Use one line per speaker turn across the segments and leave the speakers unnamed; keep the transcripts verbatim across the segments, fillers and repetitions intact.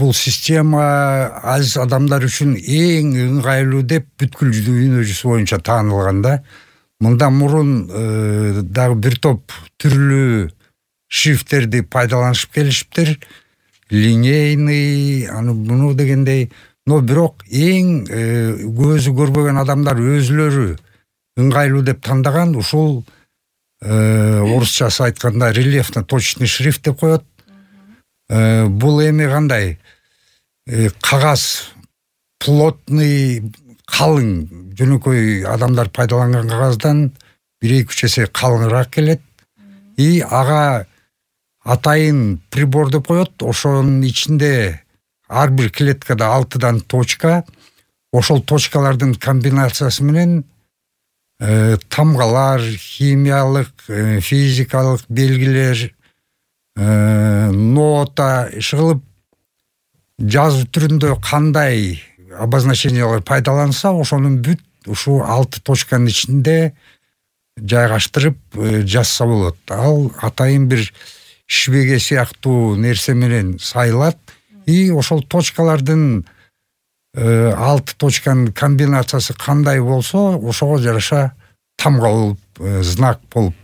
бул система аз адамдар үчүн эң ыңгайлуу деп бүткүл дүйнө жүзү боюнча таанылган да. Мындан мурун дагы бир топ түрлүү шрифттерди пайдаланышып келишиптир. Линейный, аны буну дегендей, но бирок эң көзү көрбөгөн адамдар өзүлөрү ыңгайлуу деп тандаган ушул орусчасы айтканда рельефно-точный шрифт деп коет. Бул эми кандай? Кагаз плотный, калың, жөнөкөй адамдар пайдаланган кагаздан бир эки үч эсе калыңыраак келет. И ага атайын прибор деп коет. Ошонун ичинде ар бир клеткада алтыдан точка. Ошол точкалардын комбинациясы менен тамгалар, химиялык, физикалык белгилер, нота иш кылып жазуу түрүндө кандай обозначениялар пайдаланса, ошонун бүт ушу алты точканын ичинде жайгаштырып жазса болот. Ал атайын бир шибеге сыяктуу нерсе менен сайылат. И ошол точкалардын алты точканын комбинациясы кандай болсо, ошого жараша тамга болуп, знак болуп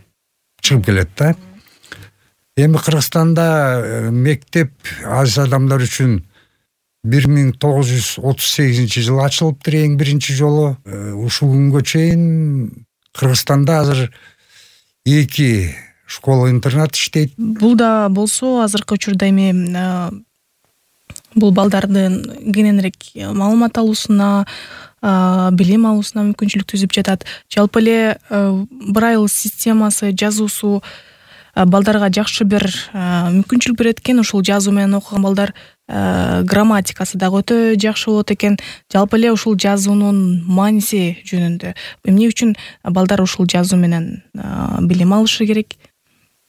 чыгып келет да. Эми Кыргызстанда мектеп аз адамдар үчүн бир миң тогуз жүз отуз сегизинчи жылы ачылыптыр эң биринчи жолу. Ушул күнгө чейин Кыргызстанда азыр эки школа-интернат иштейт.
Бул да болсо азыркы учурда эми бул балдардын кененирээк маалымат алуусуна, билим алуусуна мүмкүнчүлүк түзүп жатат. Жалпы эле Braille системасы, жазуусу балдарга жакшы бир мүмкүнчүлүк берет экен. Ушул жазуу менен окуган балдар грамматикасы дагы өтө жакшы болот экен. Жалпы эле ушул жазуунун мааниси жөнүндө эмне үчүн балдар ушул жазуу менен билим алышы керек?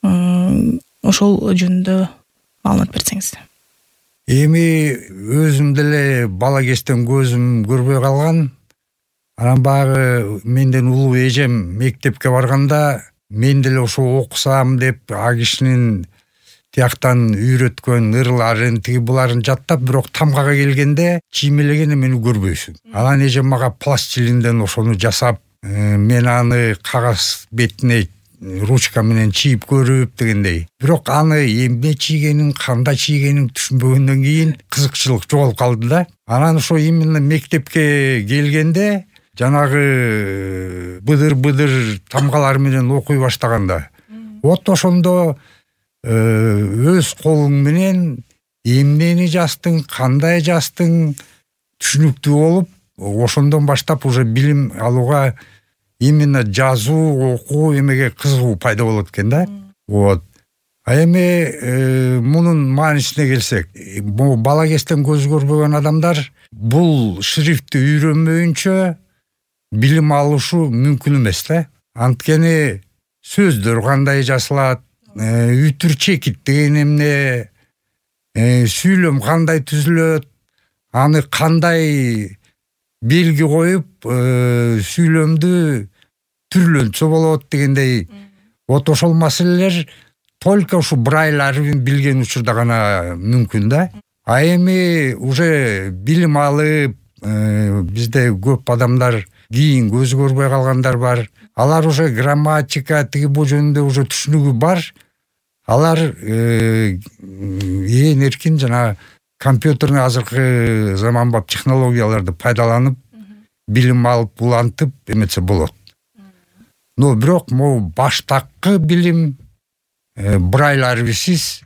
Ошол жөнүндө маалымат берсеңиз.
Эми өзүм деле бала кезден көзүм көрбөй калган. Анан багы менден улуу эжем мектепке барганда мен деле ошо окусам деп а кишинин тияктан үйрөткөн ырларын, тиги буларын жаттап, бирок тамгага келгенде чиймелеген эмени көрбөйсүң. Анан эжем мага пластилинден ошону жасап, мен аны кагаз бетине ручка менен чийип көрүп дегендей. Бирок аны эмне чийгенин, кандай чийгенин түшүнбөгөндөн кийин кызыкчылык жоголуп калды да. Анан ошо именно мектепке келгенде жанагы быдыр-быдыр тамгалар менен окуй баштаганда, вот ошондо өз колуң менен эмнени жаздың, кандай жаздың түшүнүктүү болуп, ошондон баштап уже билим алууга, именно жазуу, окуу эмеге кызыгуу пайда болот экен да. Вот. А эми мунун маанисине келсек, бала кезден көз көрбөгөн адамдар бул шрифтти үйрөнмөйүнчө билим алышы мүмкүн эмес да. Анткени сөздөр кандай жазылат, үтүр чекит деген эмне, сүйлөм кандай түзүлөт, аны кандай белги коюп сүйлөмдү түрлөнтсө болот дегендей. Вот ошол маселелер только ушу Braille арбин билген учурда гана мүмкүн да. А эми уже билим алып, бизде көп адамдар кийин көзү көрбөй калгандар бар. Алар уже грамматика, тиги бу жөнүндө уже түшүнүгү бар. Алар ээн эркин жана компьютерный азыркы заманбап технологияларды пайдаланып, билим алып, улантып эметсе болот. Но бирок могу баштакы билим Braille арбисиз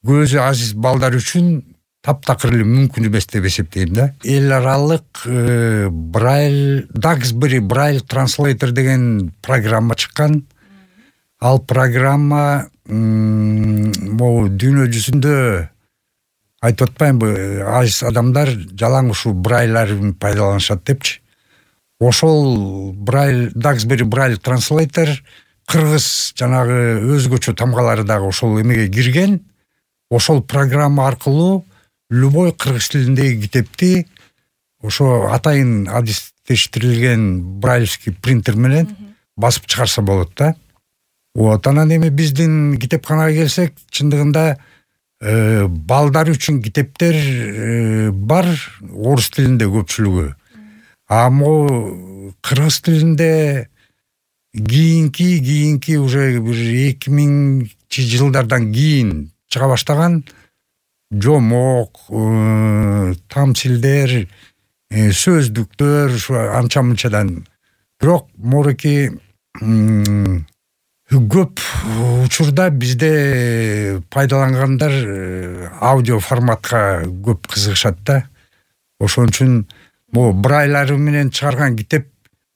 көзү азиз балдар үчүн таптакыр эле мүмкүн эмес деп эсептейм да. Эл аралык Braille, Duxbury Braille Translator деген программа чыккан. Ал программа могу дүйнө жүзүндө айтып атпаймынбы, азиз адамдар жалаң ушу Braille арбин пайдаланышат депчи. Ошол Braille, Duxbury Braille Translator кыргыз жанагы өзгөчө тамгалары дагы ошол эмеге кирген. Ошол программа аркылуу любой кыргыз тилиндеги китепти ошо атайын адистештирилген брайльский принтер менен басып чыгарса болот да. Вот, анан эми биздин китепканага келсек, чындыгында балдар үчүн китептер бар орус тилинде көпчүлүгү. А могу кыргыз тилинде кийинки кийинки уже бир эки миңинчи жылдардан кийин чыга баштаган жомок, тамсилдер, сөздүктөр ушу анча мынчадан. Бирок мореки көп учурда бизде пайдалангандар аудио форматка көп кызыгышат да. Ошон үчүн могу брайлары менен чыгарган китеп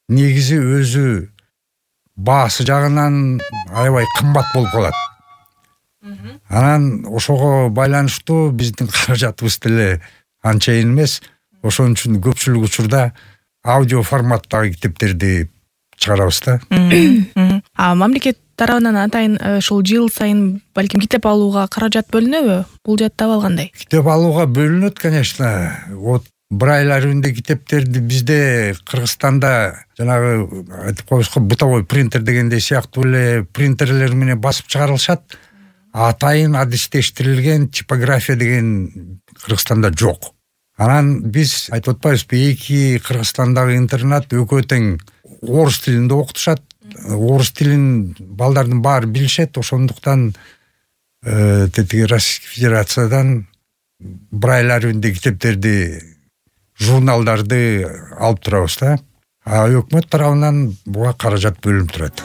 негизи өзү баасы жагынан аябай кымбат болуп калат. Анан ошого байланыштуу биздин каражатыбыз деле анчайын эмес. Ошон үчүн көпчүлүк учурда аудио форматтагы китептерди чыгарабыз да.
А мамлекет тарабынан атайын ушул жыл сайын балким китеп алууга каражат бөлүнөбү? Бул жакта кандай?
Китеп алууга бөлүнөт, конечно. Вот брайларында китептерди бизде Кыргызстанда жанагы айтып коебузго бытовой принтер дегендей сыяктуу эле принтерлер менен басып чыгарылышат. Атайын адистештирилген типография деген Кыргызстанда жок. Анан биз айтып атпайбызбы, эки Кыргызстандагы интернат экөө тең орус тилинде окутушат. Орус тилин балдардын баары билишет. Ошондуктан тетиги Российский Федерациядан брайларында китептерди, журналдарды алып турабыз да. А өкмөт тарабынан буга каражат бөлүнүп турат.